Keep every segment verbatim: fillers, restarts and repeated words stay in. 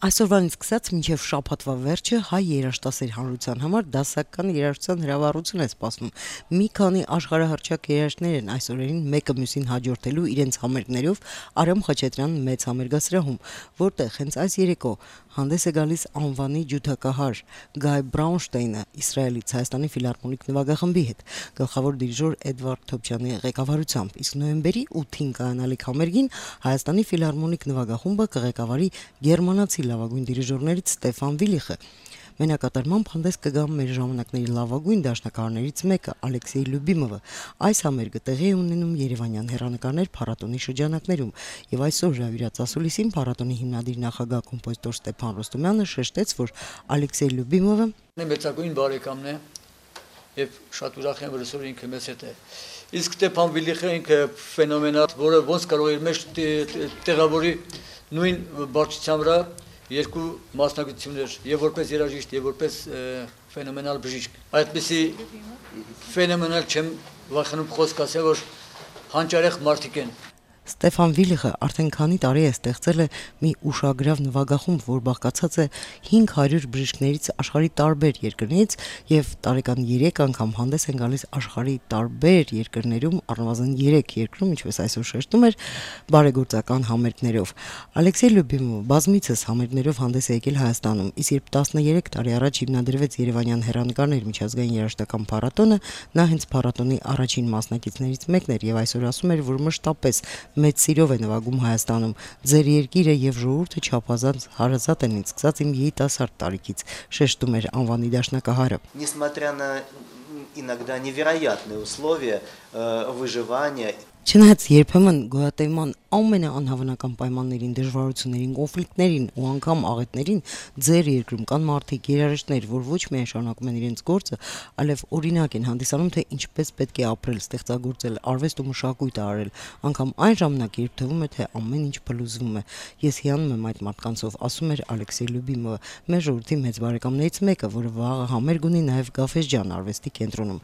Այսօրվանից սկսած մինչև շաբաթվա վերջը հայ երաժշտասեր հանրության համար դասական երաժշտության հրավառություն է սպասվում։ Մի քանի աշխարհահռչակ երաժիշտներ են այս օրերին մեկը մյուսին հաջորդելու իրենց համերգներով Արամ Խաչատրյան մեծ համերգասրահում, որտեղ հենց այս երեկո հանդես է գալիս անվանի ջութակահար Գայ Բրաունշտեյնը Իսրայելից Հայաստանի ֆիլհարմոնիկ նվագախմբի հետ գլխավոր դիրիժոր Էդվարդ Թոփչյանի ղեկավարությամբ, իսկ նոյեմբերի ութին կայանալիք համերգին Հայաստանի ֆիլհարմոնիկ նվագախումբը կղեկավարի գերմանացի լավագույն դիրիժորներից Ստեֆան Վիլիխը։ Մենակատարմամբ հանդես կգա մեր ժամանակների լավագույն դաշնակահարներից մեկը Ալեքսեյ Լյուբիմովը։ Այս համերգը տեղի է ունենում Երևանյան հեռանկարներ փառատոնի շրջանակներում, եւ այսօր հրավիրած ասուլիսին փառատոնի հիմնադիր նախագահ կոմպոզիտոր Ստեփան Ռոստոմյանը շեշտեց, որ Ալեքսեյ Լյուբիմովը մեծագույն բարեկամն է եւ շատ ուրախ եմ, որ այսօր ինքը մեզ հետ է։ Իսկ Ստեփան Վիլիխը ինքը ֆենոմենալ, որը ոնց կարող է իր մեջ տեղավորի նույն բարձրության վրա երկու մասնակցություններ, եւ որպես երաժիշտ, եւ որպես ֆենոմենալ բժիշկ։ Այդպիսի ֆենոմենալ չեմ վախենում խոսք ասել, որ հանճարեղ մարդիկ են։ Ստեփան Վիլիխը արդեն քանի տարի է ստեղծել է մի ուշագրավ նվագախումբ, որ բաղկացած է հինգ հարյուր բժիշկներից աշխարհի տարբեր երկրներից եւ տարեկան երեք անգամ հանդես են գալիս աշխարհի տարբեր երկրներում, առնվազն երեք երկրում, ինչպես այսօր շեշտում էր, բարեգործական համերգներով։ Ալեքսեյ Լյուբիմովը բազմիցս համերգներով հանդես է եկել Հայաստանում, իսկ երբ տասներեք տարի առաջ հիմնադրվեց Երևանյան հեռանկարներ միջազգային երաժշտական փառատոնը, նա հենց փառատոնի առաջին մասնակիցներից մեկն էր եւ այսօր ասում էր, որ մշտապես մեծ սիրով է նվագում Հայաստանում։ Ձեր երկիրը եւ ժողովուրդը չափազանց հարազատ են ինձ սկսած իմ երիտասարդ տարիքից, շեշտում էր անվանի դաշնակահարը։ Несмотря на иногда невероятные условия выживания. Չնայած երբեմն գոյատևման ամենաանհավանական պայմաններին, դժվարություններին, կոնֆլիկտներին ու անգամ աղետներին ձեր երկրում կան մարդիկ, երաժիշտներ, որ ոչ միայն շարունակում են իրենց գործը, այլև օրինակ են հանդիսանում, թե ինչպես պետք է ապրել, ստեղծագործել, արվեստ ու մշակույթ արել, անգամ այն ժամանակ, երբ թվում է, թե ամեն ինչ փլուզվում է։ Ես հիանում եմ այդ մարդկանցով, ասում էր Ալեքսեյ Լյուբիմովը, մեր ժողովրդի մեծ բարեկամներից մեկը, որը վաղը համերգ ունի նաև Գաֆեսջան արվեստի կենտրոնում։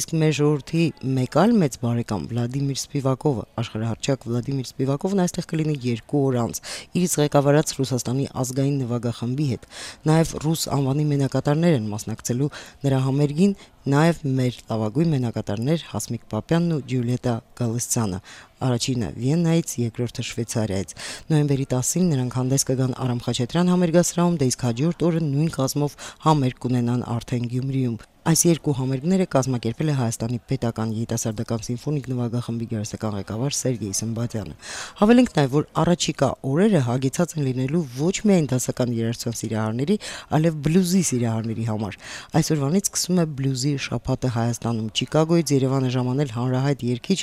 Իսկ մեր ժողովրդի մեկ այլ մեծ բարեկամ Վլադիմիր Սպիվակովը, աշխարհահռչակ Վլադիմիր Սպիվակովն այստեղ կլինի երկու օր անց, իր իսկ ղեկավարած Ռուսաստանի ազգային նվագախմբի հետ։ Նաև ռուս անվանի մենակատարներ են մասնակցելու նրա համերգին, նաև մեր լավագույն մենակատարներ Հասմիկ Պապյանն ու Ջուլիետա Գալստյանը, առաջինը Վիեննայից, երկրորդը Շվեյցարիայից։ Նոյեմբերի տասին նրանք հանդես կգան Արամ Խաչատրյան համերգասրահում, դե իսկ հաջորդ օրը նույն կազմով համերգ կունենան արդեն Գյումրիում։ Այս երկու համերգները կազմակերպել է Հայաստանի պետական երիտասարդական սիմֆոնիկ նվագախմբի գերասական ղեկավար Սերգեյ Սմբատյանը։ Հավելենք նաև, որ առաջիկա օրերը հագեցած են լինելու ոչ միայն դասական երաժշտության սիրահարների, այլև բլյուզի սիրահարների համար։ Այսօրվանից սկսում է բլյուզի շաբաթը Հայաստանում։ Չիկագոյից Երևանը ժամանել հանրահայտ երգիչ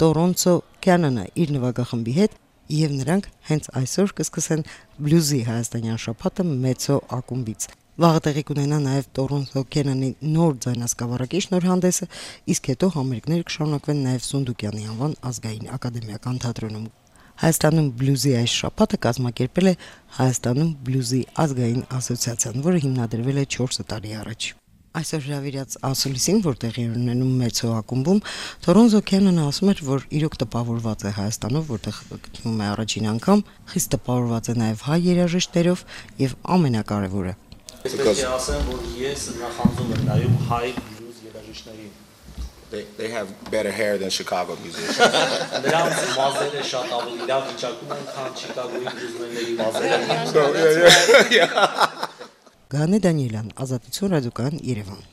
Տորոնցո Քյանոնը իր նվագախմբի հետ, եւ նրանք հենց այսօր կսկսեն բլյուզի հայաստանյան շաբաթը մեծո ակումբից։ Վաղը տեղի կունենա նաև Տորոնցո Քյանոնի նոր ձայնասկավառակի շնորհանդեսը, իսկ հետո համերգները կշարունակվեն նաև Սունդուկյանի անվան ազգային ակադեմիական թատրոնում։ Հայաստանում բլյուզի այս շաբաթը կազմակերպել է Հայաստանում բլյուզի ազգային ասոցիացիան, որը հիմնադրվել է չորս տարի առաջ։ Այսօր հրավիրած ասուլիսին, որ տեղի ունենում մեծո ակումբում, Տորոնցո Քյանոնը ասում էր, որ իրոք տպավորված է Հայաստանով, որտեղ գտնվում է առաջին անգամ, խիստ տպավորված է նաև հայ երաժիշտերով եւ ամենակարևորը Պետք է ասեմ, որ ես նախանձում եմ նայում հայ բլյուզ երաժիշտներին։ They they have better hair than Chicago musicians. Նրանց մազերը շատ ավելի լավ վիճակում են, քան Չիկագոյի բլյուզմենների մազերը։ So yeah, yeah, yeah. Գանե Դանիելյան, Ազատություն ռադիոկայան, Երևան։